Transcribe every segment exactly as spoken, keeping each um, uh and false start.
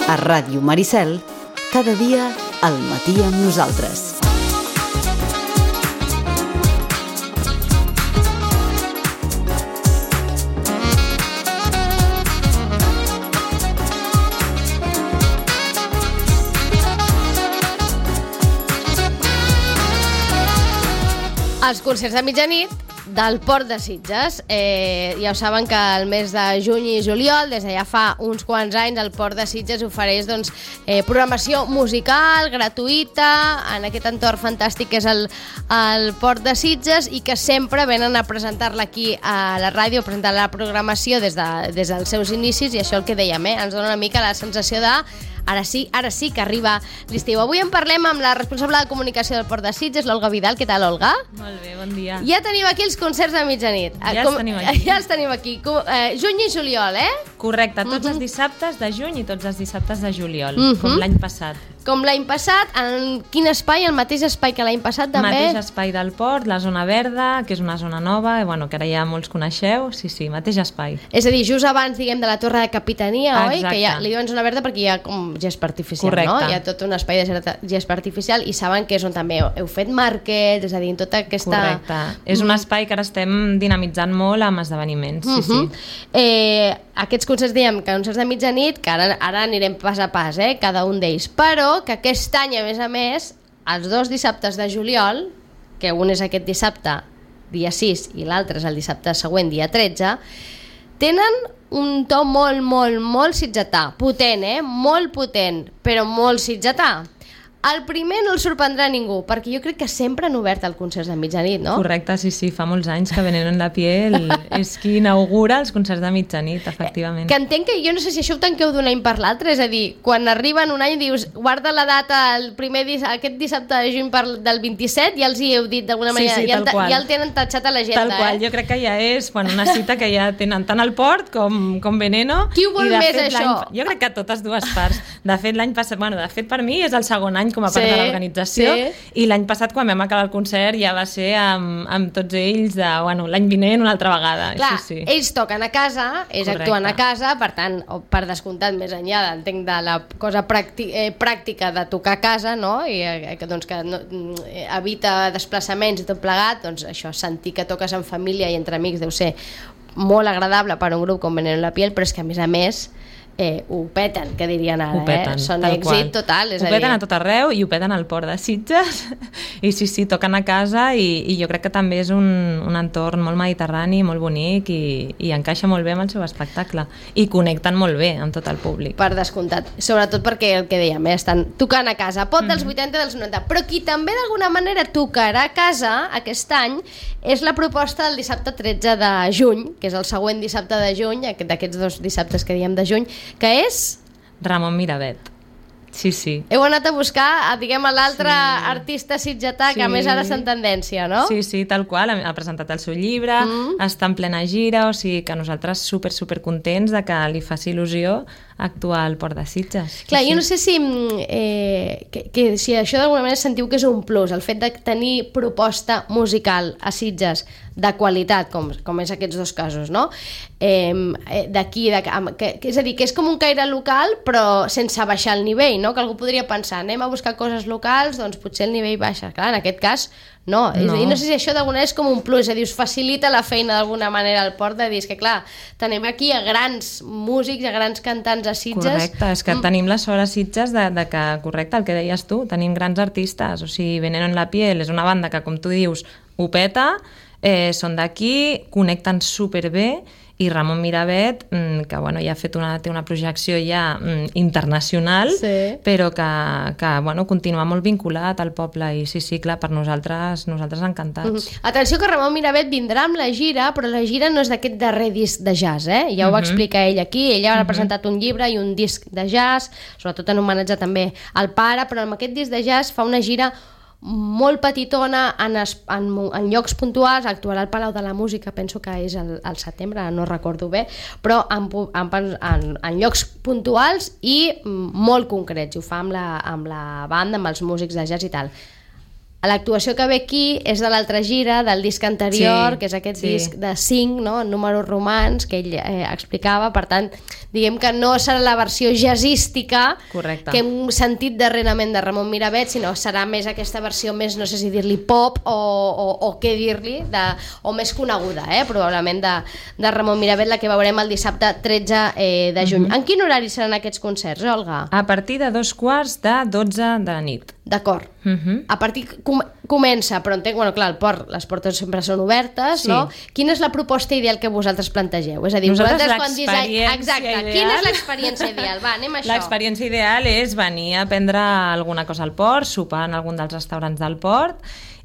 A Ràdio Maricel, cada dia al matí amb nosaltres. Els concerts de mitjanit del Port de Sitges. Eh, ja ho saben que el mes de juny i juliol, des de ja fa uns quants anys, el Port de Sitges ofereix doncs, eh, programació musical gratuïta en aquest entorn fantàstic que és el, el Port de Sitges, i que sempre venen a presentar-la aquí a la ràdio, a presentar la programació des, de, des dels seus inicis, i això el que dèiem, eh, ens dona una mica la sensació de Ara sí, ara sí que arriba l'estiu. Avui en parlem amb la responsable de comunicació del Port de Sitges, l'Olga Vidal. Què tal, Olga? Molt bé, bon dia. Ja tenim aquí els concerts de mitjanit. Ja els tenim aquí. Ja els tenim aquí. Eh, juny i juliol, eh? Correcte, tots uh-huh. els dissabtes de juny i tots els dissabtes de juliol, uh-huh. com l'any passat. Com l'any passat, en quin espai? El mateix espai que l'any passat, també? El mateix espai del Port, la zona verda, que és una zona nova, i bueno, que ara ja molts coneixeu. Sí, sí, mateix espai. És a dir, just abans, diguem, de la Torre de Capitania, Exacte. oi? Que ja li diuen zona verda perquè hi ha com gespa artificial, Correcte. no? Hi ha tot un espai de gespa artificial, i saben que és on també heu fet màrquets, és a dir, tota aquesta... Correcte. És un espai que ara estem dinamitzant molt amb esdeveniments, sí, uh-huh. sí. Eh, aquests concerts, diem, concerts de mitjanit, que ara, ara anirem pas a pas, eh, cada un d'ells, però que aquest any, a més a més, els dos dissabtes de juliol, que un és aquest dissabte, dia sis, i l'altre és el dissabte següent, dia tretze, tenen un to molt, molt, molt sitgetà. Potent, eh? Molt potent, però molt sitgetà. El primer no el sorprendrà ningú, perquè jo crec que sempre han obert el concerts de mitjanit, no? Correcte, sí, sí, fa molts anys que Veneno en la piel és qui inaugura els concerts de mitjanit, efectivament. Que entenc que jo no sé si això ho tanqueu d'un any per l'altre, és a dir, quan arriben un any dius, guarda la data el primer dis aquest dissabte de juny per, del vint-i-set, ja els hi heu dit d'alguna manera, sí, sí, ja, el, qual. ja el tenen tatxat a l'agenda, Tal qual, eh? jo crec que ja és bueno, una cita que ja tenen tant el Port com, com Veneno. Qui ho vol I de més, fet, això? Jo crec que totes dues parts. De fet, l'any passat, bueno, de fet per mi és el segon any com a part sí, de l'organització, sí. I l'any passat quan vam acabar el concert ja va ser amb, amb tots ells de, bueno, l'any vinent una altra vegada. Clar, sí, sí. ells toquen a casa, ells Correcte. actuen a casa, per tant, per descomptat, més enllà entenc de la cosa pràcti eh, pràctica de tocar a casa, no? I eh, que, doncs, que no, eh, evita desplaçaments i tot plegat, doncs això, sentir que toques en família i entre amics deu ser molt agradable per a un grup com Veneno en la piel, però és que a més a més Eh, ho peten, que dirien ara, peten, eh? Són tal èxit qual. total, és ho a dir... peten a tot arreu i ho peten al Port de Sitges i sí, sí, toquen a casa i, i jo crec que també és un, un entorn molt mediterrani, molt bonic i, i encaixa molt bé amb el seu espectacle i connecten molt bé amb tot el públic. Per descomptat, sobretot perquè el que dèiem, eh? Estan tocant a casa, pot dels vuitanta i dels noranta, però qui també d'alguna manera tocarà a casa aquest any és la proposta del dissabte tretze de juny, que és el següent dissabte de juny, d'aquests dos dissabtes que diem de juny, que és... Ramon Miravet. Sí, sí. Heu anat a buscar, diguem, l'altre sí. artista sitgetà sí. que a més ara està en tendència, no? Sí, sí, tal qual. Ha presentat el seu llibre, mm. està en plena gira, o sigui que nosaltres super, super contents de que li faci il·lusió actuar al Port de Sitges. Clar, sí, jo no sé si, eh, que, que, si això d'alguna manera sentiu que és un plus, el fet de tenir proposta musical a Sitges de qualitat, com, com és aquests dos casos, no? Eh, d'aquí, de, que, que, és a dir, que és com un caire local però sense baixar el nivell, no? Que algú podria pensar, anem a buscar coses locals, doncs potser el nivell baixa. Clar, en aquest cas no, no. I no sé si això d'alguna manera és com un plus, és a dir, us facilita la feina d'alguna manera al Port, de dir, és que clar, tenim aquí a grans músics, a grans cantants a Sitges. Correcte, és que mm. tenim la sort a Sitges de, de que, correcte, el que deies tu, tenim grans artistes, o sigui, Veneno en la piel és una banda que, com tu dius, ho peta, eh, són d'aquí, connecten superbé, i Ramon Miravet, que bueno, ja ha fet una, té una projecció ja internacional, sí. però que, que bueno, continua molt vinculat al poble, i sí, sí, clar, per nosaltres, nosaltres encantats. Uh-huh. Atenció que Ramon Miravet vindrà amb la gira, però la gira no és d'aquest darrer disc de jazz, eh? Ja ho uh-huh. va explicar ell aquí, ella ha uh-huh. presentat un llibre i un disc de jazz, sobretot en homenatge també al pare, però amb aquest disc de jazz fa una gira molt petitona en, es, en, en llocs puntuals, actuarà al Palau de la Música, penso que és el, el setembre, no recordo bé, però en, en, en, en llocs puntuals i molt concrets, ho fa amb la, amb la banda, amb els músics de jazz i tal. l'actuació que ve aquí és de l'altra gira, del disc anterior, Sí, que és aquest sí. disc de cinc, no? Números romans, que ell eh, explicava. Per tant, diguem que no serà la versió jazzística Correcte. que hem sentit darrerament de Ramon Miravet, sinó serà més aquesta versió més, no sé si dir-li pop o, o, o què dir-li, de, o més coneguda, eh? Probablement de, de Ramon Miravet, la que veurem el dissabte tretze eh, de juny. Mhm. En quin horari seran aquests concerts, Olga? A partir de dos quarts de dotze de la nit. D'acord. Mhm. A partir com, comença, però entenc, bueno, clar, el port, les portes sempre són obertes, Sí. no? Quina és la proposta ideal que vosaltres plantegeu? És a dir, Nosaltres vosaltres quan disseny... l'experiència Exacte, ideal- quina és l'experiència ideal? Va, anem a això. L'experiència ideal és venir a prendre alguna cosa al port, sopar en algun dels restaurants del port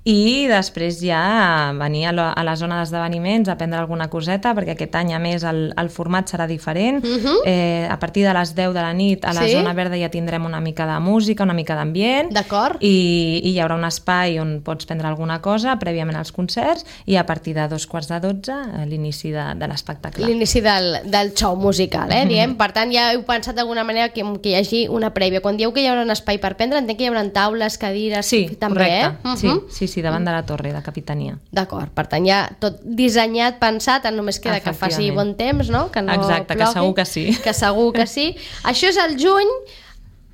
i després ja venir a la, a la zona d'esdeveniments a prendre alguna coseta, perquè aquest any a més el, el format serà diferent. Mhm. eh, a partir de les deu de la nit a la Sí. zona verda ja tindrem una mica de música, una mica d'ambient, D'acord. i, i hi haurà un espai on pots prendre alguna cosa prèviament als concerts, i a partir de dos quarts de dotze eh, l'inici de, de l'espectacle. L'inici del, del show musical, eh, diem. Per tant, ja heu pensat d'alguna manera que, que hi hagi una prèvia. Quan dieu que hi haurà un espai per prendre, entenc que hi haurà taules, cadires... Sí, també, correcte. eh? Sí, Mhm. sí, sí, davant de la torre de capitania. D'acord, per tant, ja tot dissenyat, pensat, només queda que faci Efectivament. bon temps, no? Que no Exacte, que plogui, segur que sí. Que segur que sí. Això és el juny,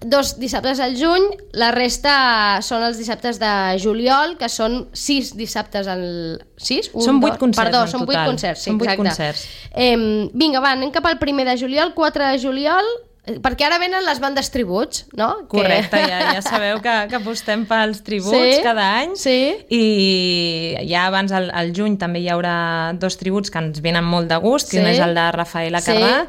dos dissabtes al juny, la resta són els dissabtes de juliol, que són sis dissabtes al... sis? Un, Són vuit dos- concerts Perdó, en són vuit total. concerts, sí, Són vuit exacte. concerts. Eh, vinga, va, anem cap al primer de juliol, quatre de juliol, eh, perquè ara venen les bandes tributs, no? Correcte, Que... ja, ja sabeu que, que apostem pels tributs Sí, cada any, sí. i ja abans al, al juny també hi haurà dos tributs que ens venen molt de gust, que Sí. un és el de Rafaela Sí. Carrà,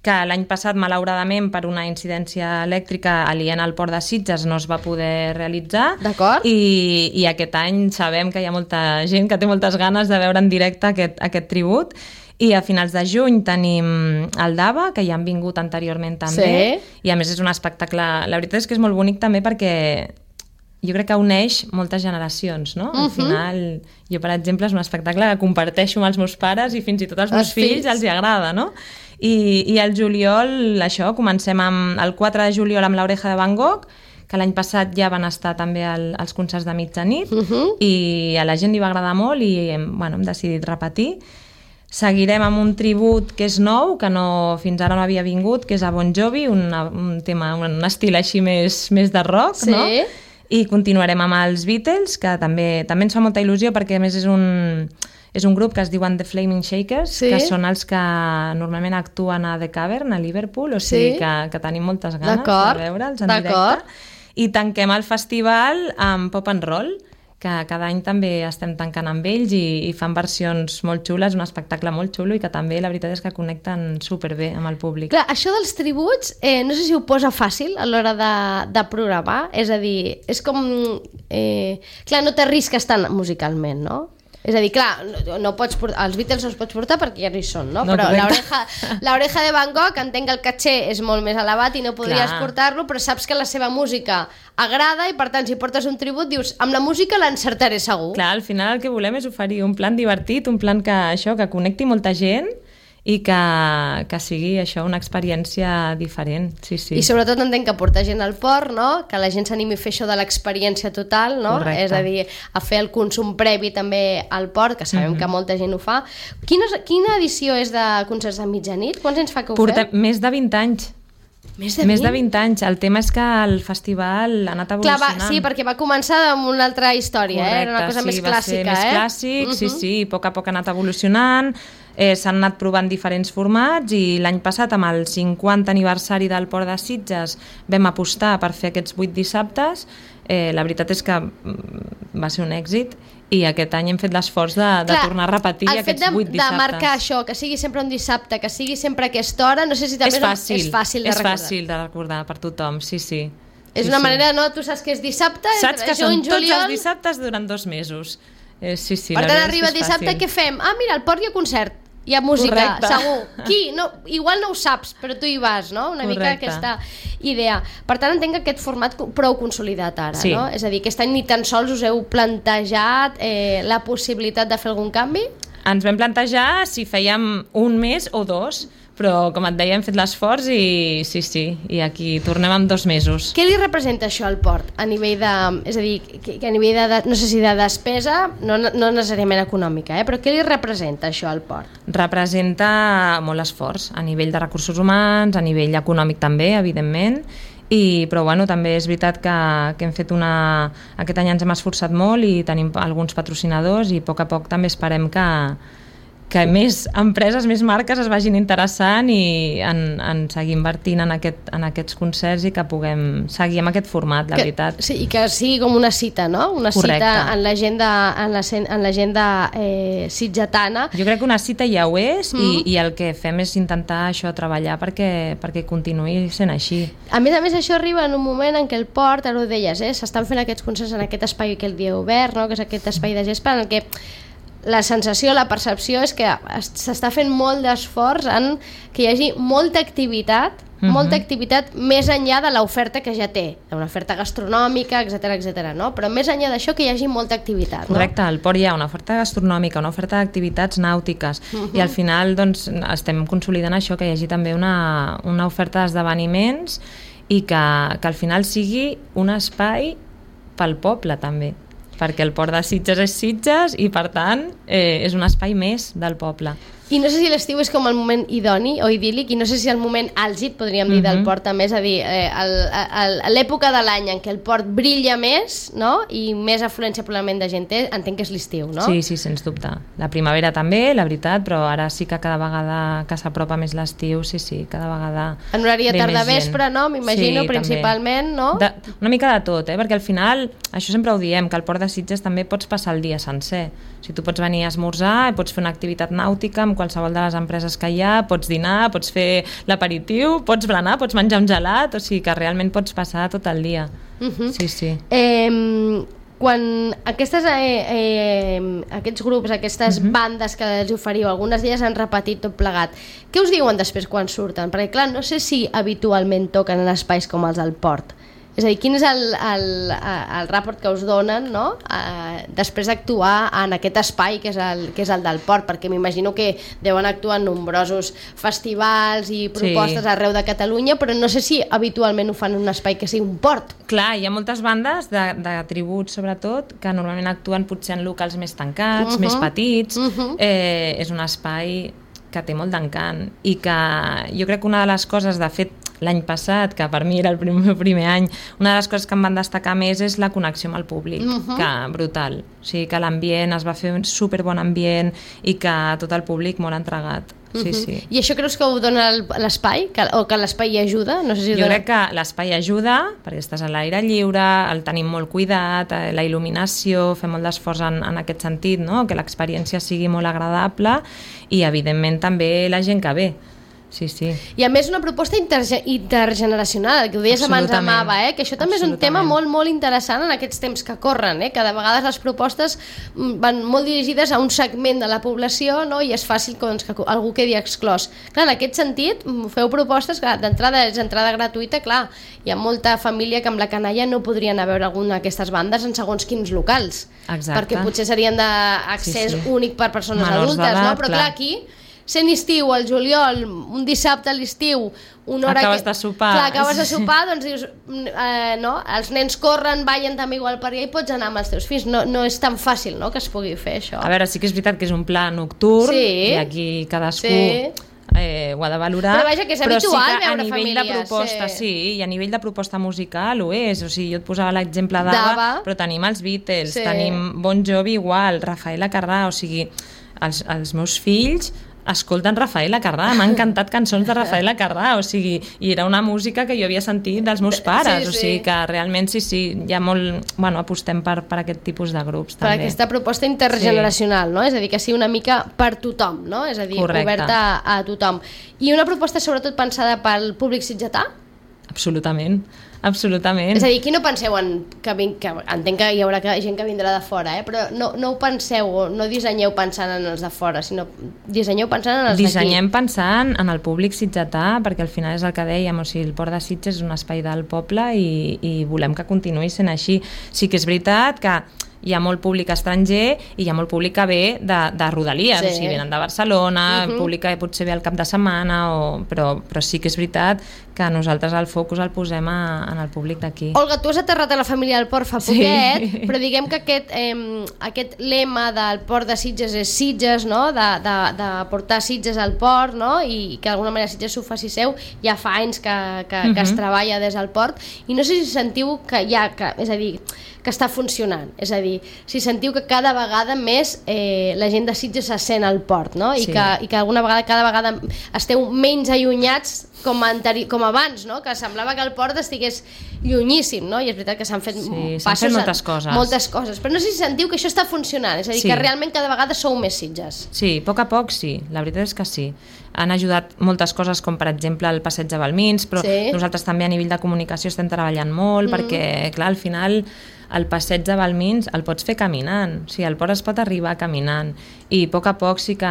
que l'any passat, malauradament, per una incidència elèctrica aliena al port de Sitges no es va poder realitzar. D'acord. I, I aquest any sabem que hi ha molta gent que té moltes ganes de veure en directe aquest, aquest tribut. I a finals de juny tenim el Dava, que ja han vingut anteriorment també, Sí. i a més és un espectacle... La veritat és que és molt bonic també perquè jo crec que uneix moltes generacions, no? Al Mhm. final, jo, per exemple, és un espectacle que comparteixo amb els meus pares i fins i tot als meus Els fills, fills. els hi agrada, no? I, i el juliol, això, comencem amb el quatre de juliol amb l'Oreja de Van Gogh, que l'any passat ja van estar també al, als concerts de mitjanit, Mhm. i a la gent li va agradar molt i hem, bueno, hem decidit repetir. Seguirem amb un tribut que és nou, que no, fins ara no havia vingut, que és a Bon Jovi, una, un tema, un estil així més, més de rock, Sí. no? I continuarem amb els Beatles, que també també ens fa molta il·lusió perquè a més és un, és un grup que es diuen The Flaming Shakers, Sí. que són els que normalment actuen a The Cavern, a Liverpool, o sigui Sí. que, que tenim moltes ganes D'acord, de veure'ls en d'acord. directe. I tanquem el festival amb Pop and Roll, que cada any també estem tancant amb ells i, i fan versions molt xules, un espectacle molt xulo i que també la veritat és que connecten superbé amb el públic. Clar, això dels tributs, eh, no sé si ho posa fàcil a l'hora de, de programar, és a dir, és com... Eh, clar, no t'arrisques tant musicalment, no? És a dir, clar, no, no pots portar, els Beatles no els pots portar perquè ja no hi són, no? No, Però correcte. l'oreja l'oreja de Van Gogh, entenc que el caché és molt més elevat i no podries Clar. portar-lo, però saps que la seva música agrada i, per tant, si portes un tribut, dius, amb la música l'encertaré segur. Clar, al final el que volem és oferir un plan divertit, un plan que, això, que connecti molta gent i que, que sigui això una experiència diferent. Sí, sí. I sobretot entenc que portar gent al port, no? Que la gent s'animi a fer això de l'experiència total, no? Correcte. És a dir, a fer el consum previ també al port, que sabem Mhm. que molta gent ho fa. Quina, quina edició és de concerts de mitjanit? Quants anys fa que ho Portem feu? més de vint anys. Més de Més de vint? vint anys. El tema és que el festival ha anat Clar, evolucionant. va, sí, perquè va començar amb una altra història, eh? Era una cosa sí, més va ser clàssica, més eh? clàssic, sí, Mhm. sí, a poc a poc ha anat evolucionant, eh, s'han anat provant diferents formats i l'any passat, amb el cinquanta aniversari del Port de Sitges, vam apostar per fer aquests vuit dissabtes. Eh, la veritat és que mm, va ser un èxit i aquest any hem fet l'esforç de, de Clar, tornar a repetir el fet aquests de, vuit de dissabtes. marcar això, que sigui sempre un dissabte, que sigui sempre a aquesta hora, no sé si també És fàcil, és fàcil de és recordar. fàcil de recordar per tothom, sí, sí. És Sí, una sí. manera, no? Tu saps que és dissabte, Saps que entre són juny, tots juliol... els dissabtes durant dos mesos. Eh, sí, sí, Per la tant, veritat és arriba que és dissabte, fàcil. què fem? Ah, mira, al port hi ha concert, hi ha música, Correcte. segur. Qui? No, igual no ho saps, però tu hi vas, no? Una mica Correcte. aquesta idea. Per tant, entenc que aquest format co- prou consolidat ara, Sí. no? És a dir, aquest any ni tan sols us heu plantejat eh, la possibilitat de fer algun canvi? Ens vam plantejar si fèiem un mes o dos, però com et deia hem fet l'esforç i sí, sí, i aquí tornem en dos mesos. Què li representa això al port a nivell de, és a dir, que, que a nivell de, no sé si de despesa, no, no necessàriament econòmica, eh? Però què li representa això al port? Representa molt esforç a nivell de recursos humans, a nivell econòmic també, evidentment, i, però bueno, també és veritat que, que hem fet una... Aquest any ens hem esforçat molt i tenim alguns patrocinadors i a poc a poc també esperem que, que més empreses, més marques es vagin interessant i en, en seguir invertint en, aquest, en aquests concerts i que puguem seguir amb aquest format, la que, veritat. Sí, i que sigui com una cita, no? Una Correcte. Cita en l'agenda en la, en l'agenda eh, sitgetana. Jo crec que una cita ja ho és mm. i, i el que fem és intentar això, treballar perquè, perquè continuï sent així. A més a més, això arriba en un moment en què el port, ara ho deies, eh, s'estan fent aquests concerts en aquest espai que el dia obert, no? Que és aquest espai de gespa en el que la sensació, la percepció és que s'està fent molt d'esforç en que hi hagi molta activitat, uh-huh. molta activitat més enllà de l'oferta que ja té, una oferta gastronòmica, etcètera, etcètera, no? Però més enllà d'això que hi hagi molta activitat. Correcte, no? Al port hi ha una oferta gastronòmica, una oferta d'activitats nàutiques uh-huh. i al final doncs, estem consolidant això, que hi hagi també una, una oferta d'esdeveniments i que, que al final sigui un espai pel poble també, perquè el port de Sitges és Sitges i per tant eh, és un espai més del poble. I no sé si l'estiu és com el moment idoni o idíl·lic, i no sé si el moment àlgid, podríem dir, del port també, és a dir, eh, el, el, l'època de l'any en què el port brilla més, no? I més afluència probablement de gent té, entenc que és l'estiu, no? Sí, sí, sens dubte. La primavera també, la veritat, però ara sí que cada vegada que s'apropa més l'estiu, sí, sí, cada vegada en horari de tarda-vespre, no? M'imagino, sí, principalment, també. No? De, una mica de tot, eh? Perquè al final, això sempre ho diem, que al port de Sitges també pots passar el dia sencer. O sigui, tu pots venir a esmorzar, pots fer una activitat nàutica amb qualsevol de les empreses que hi ha, pots dinar, pots fer l'aperitiu, pots berenar, pots menjar un gelat, o sigui que realment pots passar tot el dia. Uh-huh. Sí, sí. Eh, quan aquestes, eh, eh, aquests grups, aquestes uh-huh. bandes que els oferiu, algunes d'elles han repetit tot plegat, què us diuen després quan surten? Perquè clar, no sé si habitualment toquen en espais com els del port. És a dir, quin és el, el, el rapport que us donen, no? eh, després d'actuar en aquest espai que és, el, que és el del port, perquè m'imagino que deuen actuar en nombrosos festivals i propostes sí. arreu de Catalunya, però no sé si habitualment ho fan en un espai que sigui un port. Clar, hi ha moltes bandes de, de tributs, sobretot, que normalment actuen potser en locals més tancats, uh-huh. més petits. Uh-huh. eh, és un espai que té molt d'encant i que jo crec que una de les coses, de fet, l'any passat, que per mi era el primer, primer any, una de les coses que em van destacar més és la connexió amb el públic, uh-huh. que brutal. O sigui, que l'ambient es va fer un superbon ambient i que tot el públic molt entregat. Sí, uh-huh. sí. I això creus que ho dona l'espai? Que, o que l'espai hi ajuda? No sé si jo dona... crec que l'espai ajuda, perquè estàs a l'aire lliure, el tenim molt cuidat, la il·luminació, fem molt d'esforç en, en aquest sentit, no? Que l'experiència sigui molt agradable i, evidentment, també la gent que ve. Sí, sí. I a més una proposta interge- intergeneracional, el que ho deies abans amb Ava, eh? Que això també és un tema molt, molt interessant en aquests temps que corren, eh? Que de vegades les propostes van molt dirigides a un segment de la població, no? I és fàcil doncs, que algú quedi exclòs. Clar, en aquest sentit, feu propostes que d'entrada és entrada gratuïta, clar, hi ha molta família que amb la canalla no podrien anar a veure alguna d'aquestes bandes en segons quins locals. Exacte. Perquè potser serien d'accés sí, sí. únic per persones menors adultes, no? Però clar, clar aquí sent estiu, al juliol, un dissabte a l'estiu, una hora acabes que... de sopar. Clar, acabes de sopar, doncs dius, eh, no? Els nens corren, ballen també igual per allà i pots anar amb els teus fills. No, no és tan fàcil, no?, que es pugui fer això. A veure, sí que és veritat que és un pla nocturn sí. i aquí cadascú sí. eh, ho ha de valorar. Però vaja, que és habitual sí que veure a nivell famílies, de proposta, sí. sí, i a nivell de proposta musical ho és. O sigui, jo et posava l'exemple d'Ava, però tenim els Beatles, sí. tenim Bon Jovi igual, Rafael Acarrà, o sigui, els, els meus fills escolten Rafael Acarrà, m'han encantat cançons de Rafael Acarrà, o sigui, i era una música que jo havia sentit dels meus pares, sí, sí. o sigui que realment sí, sí, hi ha molt, bueno, apostem per, per aquest tipus de grups per també. Per aquesta proposta intergeneracional, sí. no? És a dir, que sigui una mica per tothom, no? És a dir, correcte. Oberta a, a tothom. I una proposta sobretot pensada pel públic sitgetà? Absolutament, absolutament. És a dir, aquí no penseu en que, vin, que entenc que hi haurà gent que vindrà de fora, eh? Però no, no ho penseu, no dissenyeu pensant en els de fora, sinó dissenyeu pensant en els d'aquí. Dissenyem pensant en el públic sitgetà, perquè al final és el que dèiem, o sigui, el Port de Sitges és un espai del poble i, i volem que continuï sent així. Sí que és veritat que hi ha molt públic estranger i hi ha molt públic que ve de, de rodalies, sí. o sigui, venen de Barcelona, uh-huh. el públic que potser ve al cap de setmana, o... però, però sí que és veritat que nosaltres el focus el posem a, en el públic d'aquí. Olga, tu has aterrat a la família del port fa poquet, sí. però diguem que aquest, eh, aquest lema del port de Sitges és Sitges, no? de, de, de portar Sitges al port, no? I que d'alguna manera Sitges s'ho faci seu, ja fa anys que, que, uh-huh. que es treballa des del port, i no sé si sentiu que ja, que, és a dir, que està funcionant, és a dir, si sentiu que cada vegada més eh, la gent de Sitges se sent al port, no? I, sí. que, i que alguna vegada, cada vegada esteu menys allunyats com, anteri- com abans, no? Que semblava que el port estigués llunyíssim, no? I és veritat que s'han fet sí, passos, fet moltes coses. moltes coses, però no sé si sentiu que això està funcionant, és a dir, sí. que realment cada vegada sou més Sitges. Sí, a poc a poc sí, la veritat és que sí. Han ajudat moltes coses, com per exemple el passeig de Balmins, però sí. nosaltres també a nivell de comunicació estem treballant molt, mm. perquè clar, al final el passeig de Balmins el pots fer caminant, o sigui, el port es pot arribar caminant, i a poc a poc sí que,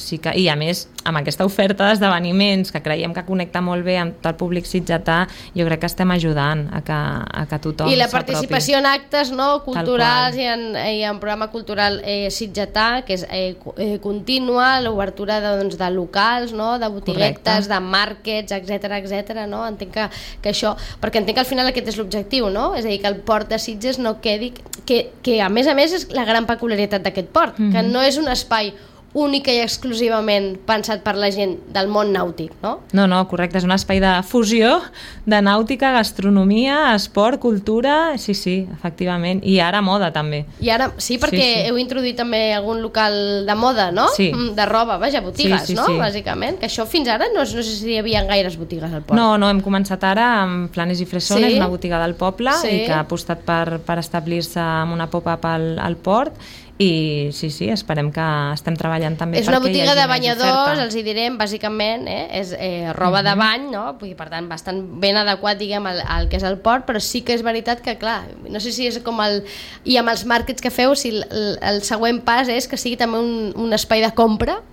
sí que... I a més, amb aquesta oferta d'esdeveniments que creiem que connecta molt bé amb tot el públic sitgetà, jo crec que estem ajudant a que, a que tothom I la s'apropi. Participació en actes, no, culturals i en, i en programa cultural eh, sitgetà, que és eh, eh, contínua, l'obertura de, doncs, de locals, no, de botiguetes, correcte. De markets, etcètera, etcètera, no? Entenc que, que això... Perquè entenc que al final aquest és l'objectiu, no? És a dir, que el port de Sitges no quedi... Que, que a més a més és la gran peculiaritat d'aquest port, mm-hmm. que no és un espai únic i exclusivament pensat per la gent del món nàutic, no? No, no, correcte, és un espai de fusió de nàutica, gastronomia, esport, cultura, sí, sí, efectivament, i ara moda també. I ara, sí, perquè sí, sí. heu introduït també algun local de moda, no? Sí. De roba, vaja, botigues, sí, sí, no? Sí. Bàsicament, que això fins ara no, no sé si hi havia gaires botigues al port. No, no, hem començat ara amb Planes i Fresones, sí. una botiga del poble, sí. i que ha apostat per, per establir-se amb una pop-up al, al port, i sí, sí, esperem que estem treballant també és una perquè botiga de banyadors, oferta. Els hi direm, bàsicament, eh? És eh, roba uh-huh. de bany, no? I per tant, bastant ben adequat, diguem, al, al que és el port, però sí que és veritat que, clar, no sé si és com el... I amb els màrquets que feu, si el, el següent pas és que sigui també un, un espai de compra.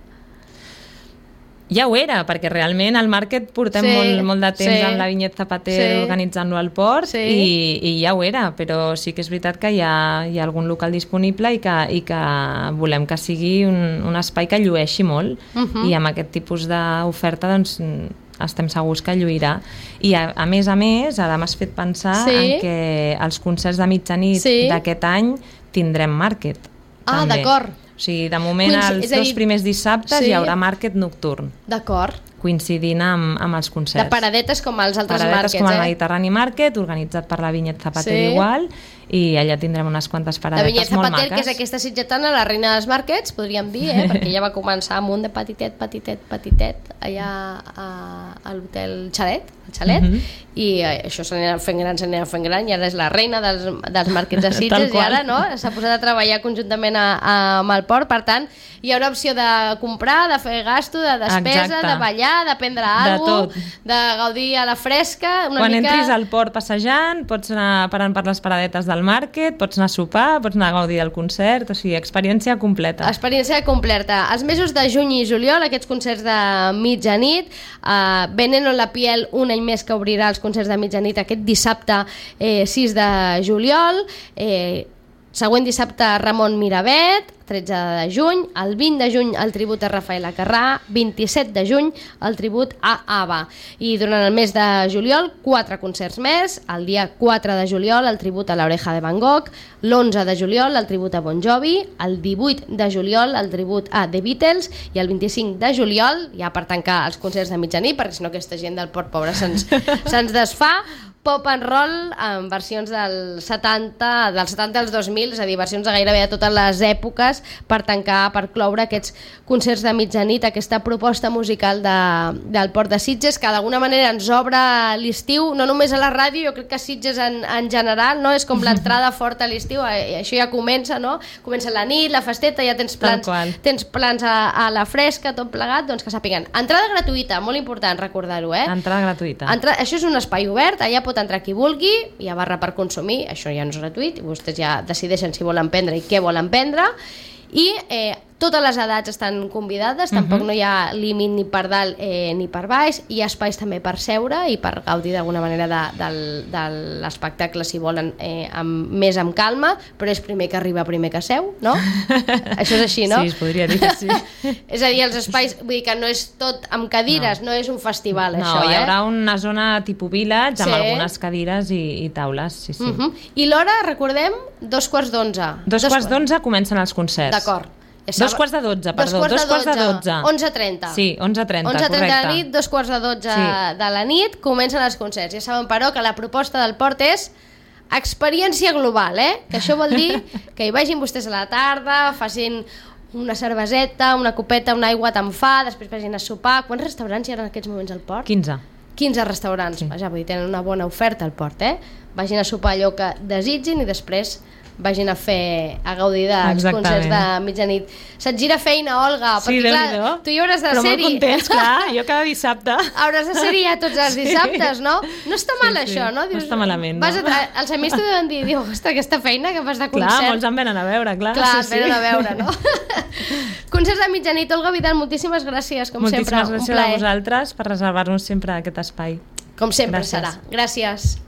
Ja ho era, perquè realment al màrquet portem sí, molt, molt de temps sí, amb la Vinyet Zapater sí, organitzant-lo al port sí. i, i ja ho era, però sí que és veritat que hi ha, hi ha algun local disponible i que, i que volem que sigui un, un espai que llueixi molt uh-huh. i amb aquest tipus d'oferta doncs estem segurs que lluirà. I a, a més a més, ara m'has fet pensar sí. en que els concerts de mitjanit sí. d'aquest any tindrem màrquet. Ah, també. D'acord. O sigui, de moment, Coinc... els dos dir... primers dissabtes sí. hi haurà màrquet nocturn. D'acord. Coincidint amb, amb els concerts. De paradetes com els altres paradetes màrquets, com el eh? Mediterrani Market, organitzat per la Vinyet Zapater sí. igual, i allà tindrem unes quantes paradetes molt maques. La Vinyet Zapater, que és aquesta sitgetana, la reina dels màrquets, podríem dir, eh? Perquè ella va començar amb un de petitet, petitet, petitet, allà a, a l'hotel Xalet, el Xalet, uh-huh. i eh, això s'anirà fent gran, s'anirà fent gran, i ara és la reina dels, dels màrquets de Sitges, i ara no, s'ha posat a treballar conjuntament a, a, amb el port, per tant, hi haurà opció de comprar, de fer gasto, de despesa, exacte. De ballar, de prendre alguna cosa, de gaudir a la fresca, una Quan mica... entris al port passejant, pots anar parant per les paradetes del màrquet, pots anar a sopar, pots anar a gaudir del concert, o sigui, experiència completa. Experiència completa. Els mesos de juny i juliol, aquests concerts de mitjanit, eh, Veneno en la piel, un any més que obrirà els concerts de mitjanit aquest dissabte eh, sis de juliol, eh, següent dissabte Ramon Miravet, tretze de juny, el vint de juny el tribut a Rafael Acarrà, vint-i-set de juny el tribut a ABBA. I durant el mes de juliol, quatre concerts més, el dia quatre de juliol el tribut a l'Oreja de Van Gogh, l'onze de juliol el tribut a Bon Jovi, el divuit de juliol el tribut a The Beatles i el vint-i-cinc de juliol, ja per tancar els concerts de mitjanit, perquè si no aquesta gent del port pobre se'ns se'ns desfà, pop and roll en versions del setanta, del setanta als dos mil, és a dir, versions de gairebé de totes les èpoques per tancar, per cloure aquests concerts de mitjanit, aquesta proposta musical de, del Port de Sitges, que d'alguna manera ens obre l'estiu, no només a la ràdio, jo crec que Sitges en, en general, no? És com l'entrada forta a l'estiu, això ja comença, no? Comença la nit, la festeta, ja tens plans, tens plans a, a la fresca, tot plegat, doncs que sàpiguen. Entrada gratuïta, molt important recordar-ho, eh? Entrada gratuïta. Entra... Això és un espai obert, allà pot entrar qui vulgui, hi ha barra per consumir, això ja no és gratuït, i vostès ja decideixen si volen prendre i què volen prendre, i eh, totes les edats estan convidades, tampoc uh-huh. no hi ha límit ni per dalt eh, ni per baix, hi ha espais també per seure i per gaudir d'alguna manera de, de, de l'espectacle si volen eh, amb, més amb calma, però és primer que arriba, primer que seu, no? Això és així, no? Sí, es podria dir que sí. És a dir, els espais, vull dir que no és tot amb cadires, no, no és un festival, no, això, eh? No, hi haurà eh? una zona tipus village amb sí. algunes cadires i, i taules, sí, sí. Uh-huh. I l'hora, recordem, dos quarts d'onze. Dos, dos quarts d'onze comencen els concerts. D'acord. Ja dos quarts de dotze, perdó. Dos quarts de dotze. onze trenta. Sí, onze trenta, correcte. onze trenta de la nit, dos quarts de dotze sí. de la nit, comencen els concerts. Ja saben, però, que la proposta del port és experiència global, eh? Que això vol dir que hi vagin vostès a la tarda, facin una cerveseta, una copeta, una aigua tan fa, després vagin a sopar. Quants restaurants hi ha en aquests moments al port? quinze. quinze restaurants, sí. Vaja, vull dir, tenen una bona oferta al port, eh? Vagin a sopar allò que desitgin i després vagin a fer, a gaudir dels Exactament. concerts de mitjanit. Se't gira feina, Olga, sí, perquè clar, tu hi hauràs de però ser-hi. Però molt contents, clar, jo cada dissabte. Hauràs de ser-hi ja tots els dissabtes, no? No està mal sí, això, no? Dius, no està malament, vas no? A, els amics t'ho deuen dir, diu, ostres, aquesta feina que fas de concert. Clar, molts en venen a veure, clar. Clar, sí, venen sí. a veure, no? Concerts de mitjanit, Olga Vidal, moltíssimes gràcies, com moltíssimes sempre, gràcies un plaer. a vosaltres per reservar-nos sempre aquest espai. Com sempre gràcies. serà. Gràcies.